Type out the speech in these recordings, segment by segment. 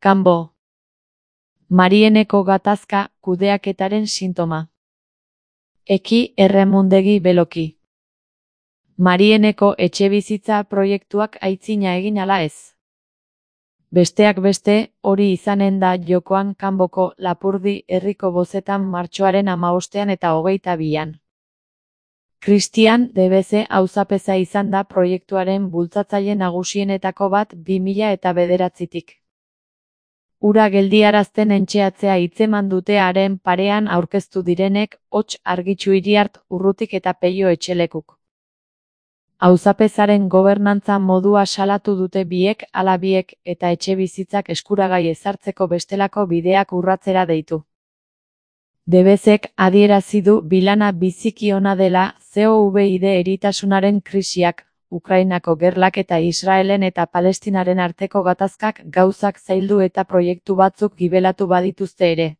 Kanbo. Marieneko gatazka kudeaketaren sintoma. Eki erremundegi beloki. Marieneko etxebizitza proiektuak aitzina egin ala ez. Besteak beste, hori izanen da jokoan Kanboko Lapurdi herriko bozetan martxoaren 15 eta 22an. Christian Debeze auzapeza izan da proiektuaren bultzatzaile nagusienetako bat 2009tik. Ura geldiarazten entxeatzea hitzeman dute haren parean aurkeztu direnek Hots Argitxu Iriart Urrutik eta Peio Etxelekuk. Auzapezaren gobernantza modua salatu dute biek ala biek eta etxebizitzak eskuragai ezartzeko bestelako bideak urratzera deitu. Debezek adierazi du bilana biziki ona dela COVID eritasunaren krisiak, Ukrainako gerlak eta Israelen eta Palestinaren arteko gatazkak gauzak zaildu eta proiektu batzuk gibelatu badituzte ere.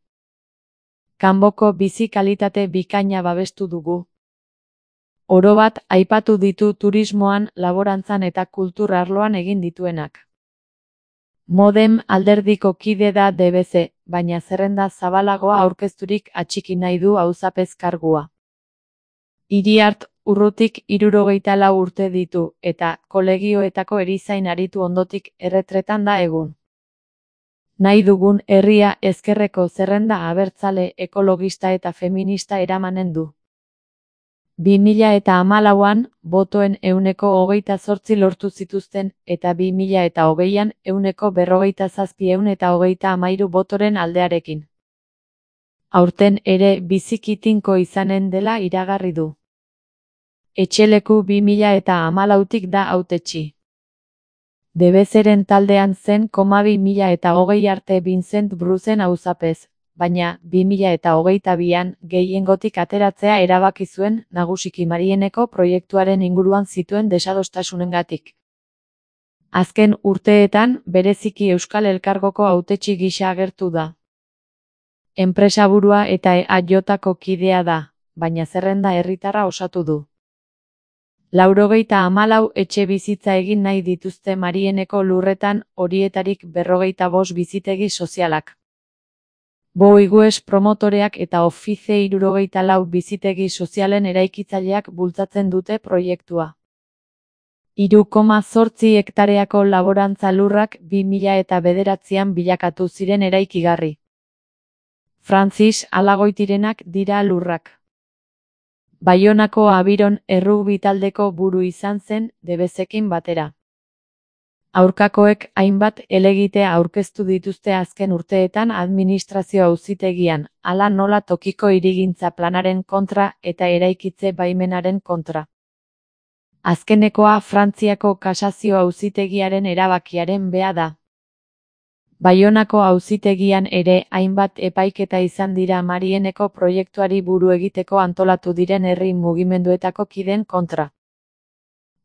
Kanboko bizi kalitate bikaina babestu dugu. Orobat aipatu ditu turismoan, laborantzan eta kultur arloan egin dituenak. Modem alderdiko kide da Debeze, baina zerrenda zabalagoa aurkezturik atxiki nahi du auzapez kargua. Iriart Urrutik 74 urte ditu, eta kolegioetako erizain aritu ondotik erretretan da egun. Nahi dugun herria ezkerreko zerrenda abertzale, ekologista eta feminista eramanen du. 2014an, botoen 28% lortu zituzten, eta 2020an 47,133 botoren aldearekin. Aurten ere biziki tinko izanen dela iragarri du. Etxeleku 2014tik da hautetsi. Debezeren taldean zen 2020 arte Vincent Brucen auzapez, baina 2022an gehiengotik ateratzea erabaki zuen nagusiki Marieneko proiektuaren inguruan zituen desadostasunengatik. Azken urteetan bereziki Euskal Elkargoko hautetsi gisa agertu da. Enpresaburua eta EAJko kidea da, baina zerrenda herritarra osatu du. 94 etxe bizitza egin nahi dituzte Marieneko lurretan, horietarik 45 bizitegi sozialak. Boigues promotoreak eta Office 74 bizitegi sozialen eraikitzaileak bultzatzen dute proiektua. 3,8 hektareako laborantza lurrak 2009an bilakatu ziren eraikigarri. Francis Alagoitirenak dira lurrak. Baionako Abiron errugbi taldeko buru izan zen Debezekin batera. Aurkakoek hainbat helegitea aurkeztu dituzte azken urteetan administrazio auzitegian, hala nola tokiko hirigintza planaren kontra eta eraikitze baimenaren kontra. Azkenekoa Frantziako kasazio auzitegiaren erabakiaren bea da. Baionako auzitegian ere hainbat epaiketa izan dira Marieneko proiektuari buru egiteko antolatu diren herri mugimenduetako kideen kontra.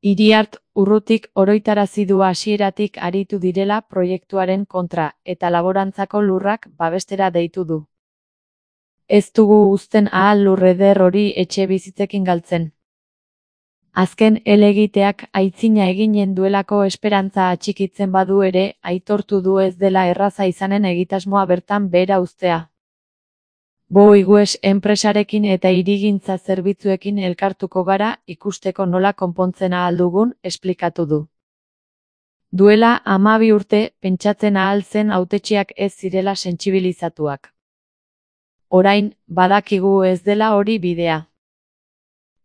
Iriart Urrutik oroitarazi du hasieratik aritu direla proiektuaren kontra, eta laborantzako lurrak babestera deitu du. Ez dugu uzten ahal lurreder hori etxe bizitzekin galtzen. Azken helegiteak aitzina eginen duelako esperantza atxikitzen badu ere, aitortu du ez dela erraza izanen egitasmoa bertan behera uztea. Boigues enpresarekin eta hirigintza zerbitzuekin elkartuko gara ikusteko nola konpontzen ahal dugun, esplikatu du. Duela 12 urte, pentsatzen ahal zen hautetsiak ez zirela sentsibilizatuak. Orain, badakigu ez dela hori bidea.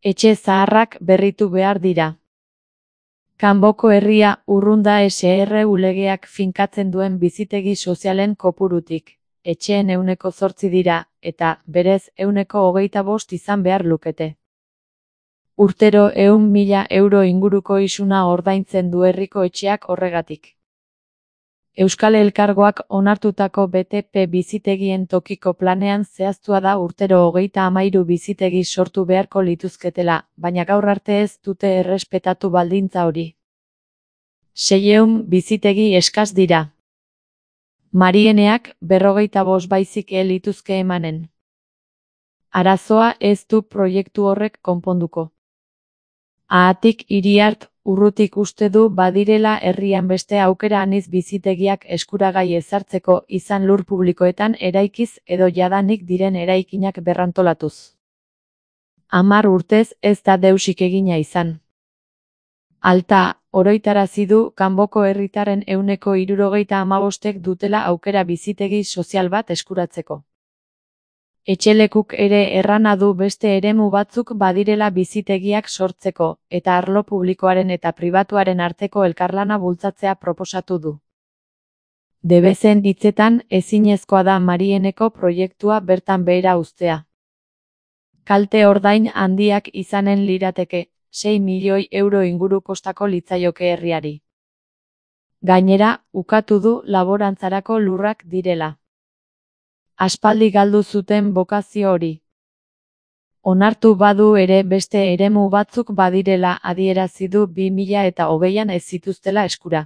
Etxe zaharrak berritu behar dira. Kanboko herria urrunda SRU legeak finkatzen duen bizitegi sozialen kopurutik. Etxeen 8% dira, eta, berez, 25% izan behar lukete. Urtero 100.000 euro inguruko isuna ordaintzen du herriko etxeak horregatik. Euskal Elkargoak onartutako BTP bizitegien tokiko planean zehaztua da urtero 33 bizitegi sortu beharko lituzketela, baina gaur arte ez dute errespetatu baldintza hori. 600 bizitegi eskas dira. Marieneak 45 baizik lituzke emanen. Arazoa ez du proiektu horrek konponduko. Haatik Iriart Urrutik uste du badirela herrian beste aukera anitz bizitegiak eskuragai ezartzeko, izan lur publikoetan eraikiz edo jadanik diren eraikinak berrantolatuz. 10 urtez ez da deusik egina izan. Alta, oroitarazi du kanboko herritarren 75%ek dutela aukera bizitegi sozial bat eskuratzeko. Etxelekuk ere errana du beste eremu batzuk badirela bizitegiak sortzeko, eta arlo publikoaren eta pribatuaren arteko elkarlana bultzatzea proposatu du. Debezen hitzetan, ezinezkoa da Marieneko proiektua bertan behera uztea. Kalte ordain handiak izanen lirateke, 6 milioi euro inguru kostako litzaioke herriari. Gainera, ukatu du laborantzarako lurrak direla. Aspaldi galdu zuten bokazio hori. Onartu badu ere beste eremu batzuk badirela adierazi du 2020an ez zituztela eskura.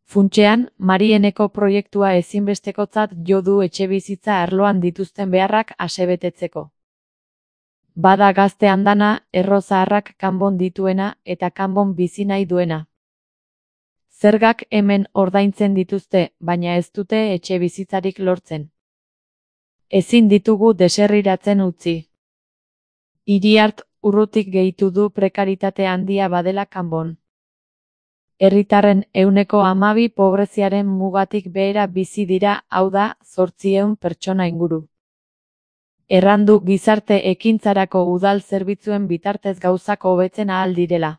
Funtsean, Marieneko proiektua ezinbestekotzat jo du etxebizitza arloan dituzten beharrak asebetetzeko. Bada gazte andana, erro zaharrak kanbon dituena eta kanbon bizi nahi duena. Zergak hemen ordaintzen dituzte, baina ez dute etxebizitzarik lortzen. Ezin ditugu deserriratzen utzi. Iriart Urrutik gehitu du prekaritate handia badela kanbon. Herritarren 12% pobreziaren mugatik behera bizi dira, hau da, 800 pertsona inguru. Errandu gizarte ekintzarako udal zerbitzuen bitartez gauzak hobetzen ahal direla.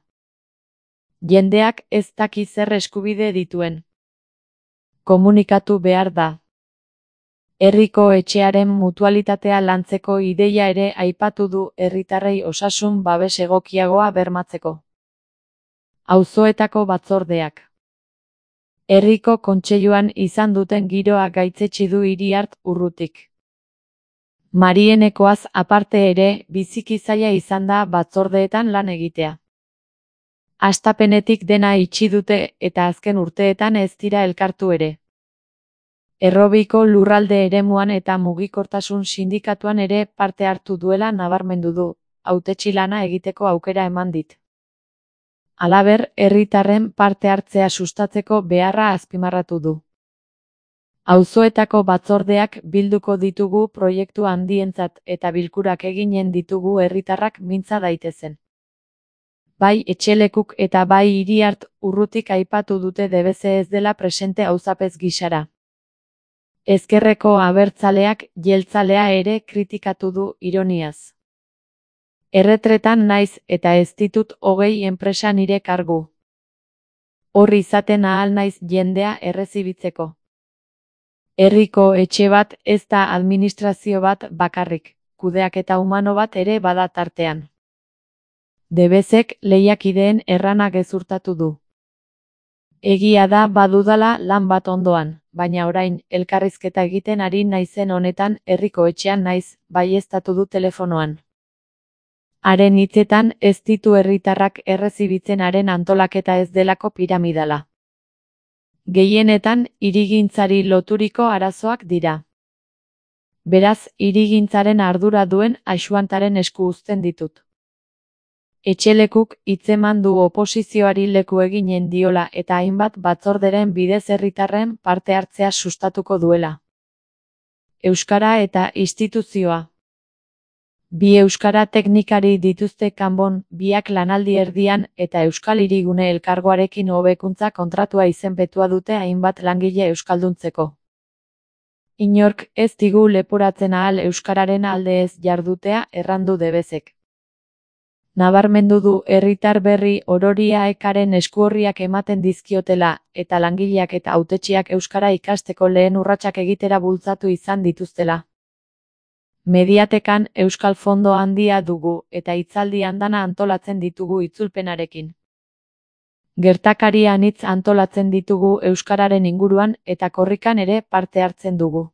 Jendeak ez daki zer eskubide dituen. Komunikatu behar da. Herriko etxearen mutualitatea lantzeko ideia ere aipatu du herritarrei osasun babes egokiagoa bermatzeko. Auzoetako batzordeak. Herriko kontseiluan izan duten giroa gaitzetsi du Iriart Urrutik. Marienekoaz aparte ere, biziki zaila izan da batzordeetan lan egitea. Hastapenetik dena itxi dute eta azken urteetan ez dira elkartu ere. Errobiko lurralde eremuan eta mugikortasun sindikatuan ere parte hartu duela nabarmendu du, hautetsi lana egiteko aukera eman dit. Halaber, herritarren parte hartzea sustatzeko beharra azpimarratu du. Auzoetako batzordeak bilduko ditugu proiektu handientzat eta bilkurak eginen ditugu herritarrak mintza daitezen. Bai Etxelekuk eta bai Iriart Urrutik aipatu dute Debeze ez dela presente auzapez gisara. Ezkerreko abertzaleak jeltzalea ere kritikatu du ironiaz. Erretretan naiz eta ez ditut 20 enpresa nire kargu. Horri izaten ahal naiz jendea errezibitzeko. Herriko etxe bat ez da administrazio bat bakarrik, kudeaketa humano bat ere bada tartean. Debezek lehiakideen errana gezurtatu du. Egia da badudala lan bat ondoan, baina orain elkarrizketa egiten ari naizen honetan herriko etxean naiz, baieztatu du telefonoan. Haren hitzetan ez ditu herritarrak errezibitzen haren antolaketa ez delako piramidala. Gehienetan hirigintzari loturiko arazoak dira. Beraz, hirigintzaren ardura duen Axuantaren esku uzten ditut. Etxelekuk hitzeman du oposizioari leku eginen diola eta hainbat batzorderen bidez herritarren parte hartzea sustatuko duela. Euskara eta instituzioa. Bi euskara teknikari dituzte kanbon, biak lanaldi erdian eta Euskal Hirigune Elkargoarekin hobekuntza kontratua izenpetua dute hainbat langile euskalduntzeko. Inork ez digu leporatzen ahal euskararen alde ez jardutea errandu Debezek. Nabarmendu du herritar berri ororia ekaren eskuorriak ematen dizkiotela eta langileak eta hautetsiak euskara ikasteko lehen urratsak egitera bultzatu izan dituztela. Mediatekan euskal fondo handia dugu eta hitzaldi andana antolatzen ditugu itzulpenarekin. Gertakari anitz antolatzen ditugu euskararen inguruan eta korrikan ere parte hartzen dugu.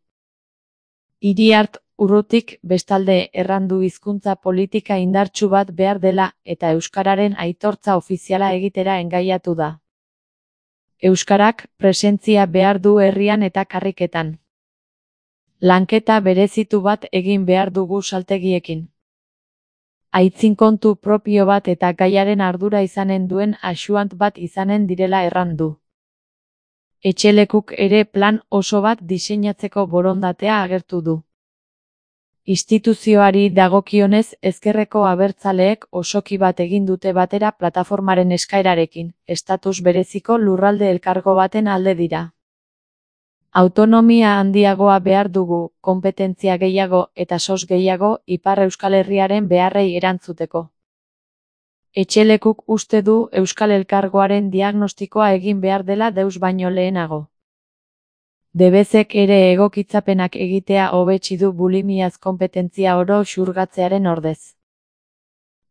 Iriart Urrutik bestalde errandu hizkuntza politika indartsu bat behar dela eta euskararen aitortza ofiziala egitera engaiatu da. Euskarak presentzia behar du herrian eta karriketan. Lanketa berezitu bat egin behar dugu saltegiekin. aitzin kontu propio bat eta gaiaren ardura izanen duen asuant bat izanen direla erran du. Etxelekuk ere plan oso bat diseinatzeko borondatea agertu du. Instituzioari dagokionez ezkerreko abertzaleek osoki bat egin dute batera plataformaren eskaerarekin, estatus bereziko lurralde elkargo baten alde dira. Autonomia handiagoa behar dugu, konpetentzia gehiago eta sos gehiago Ipar Euskal Herriaren beharrei erantzuteko. Etxelekuk uste du Euskal Elkargoaren diagnostikoa egin behar dela deus baino lehenago. Debezek ere egokitzapenak egitea hobetsi du bulimiaz konpetentzia oro xurgatzearen ordez.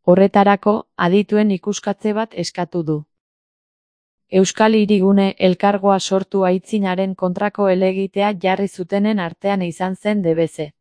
Horretarako, adituen ikuskatze bat eskatu du. Euskal Hirigune Elkargoa sortu aitzinaren kontrako helegitea jarri zutenen artean izan zen Debeze.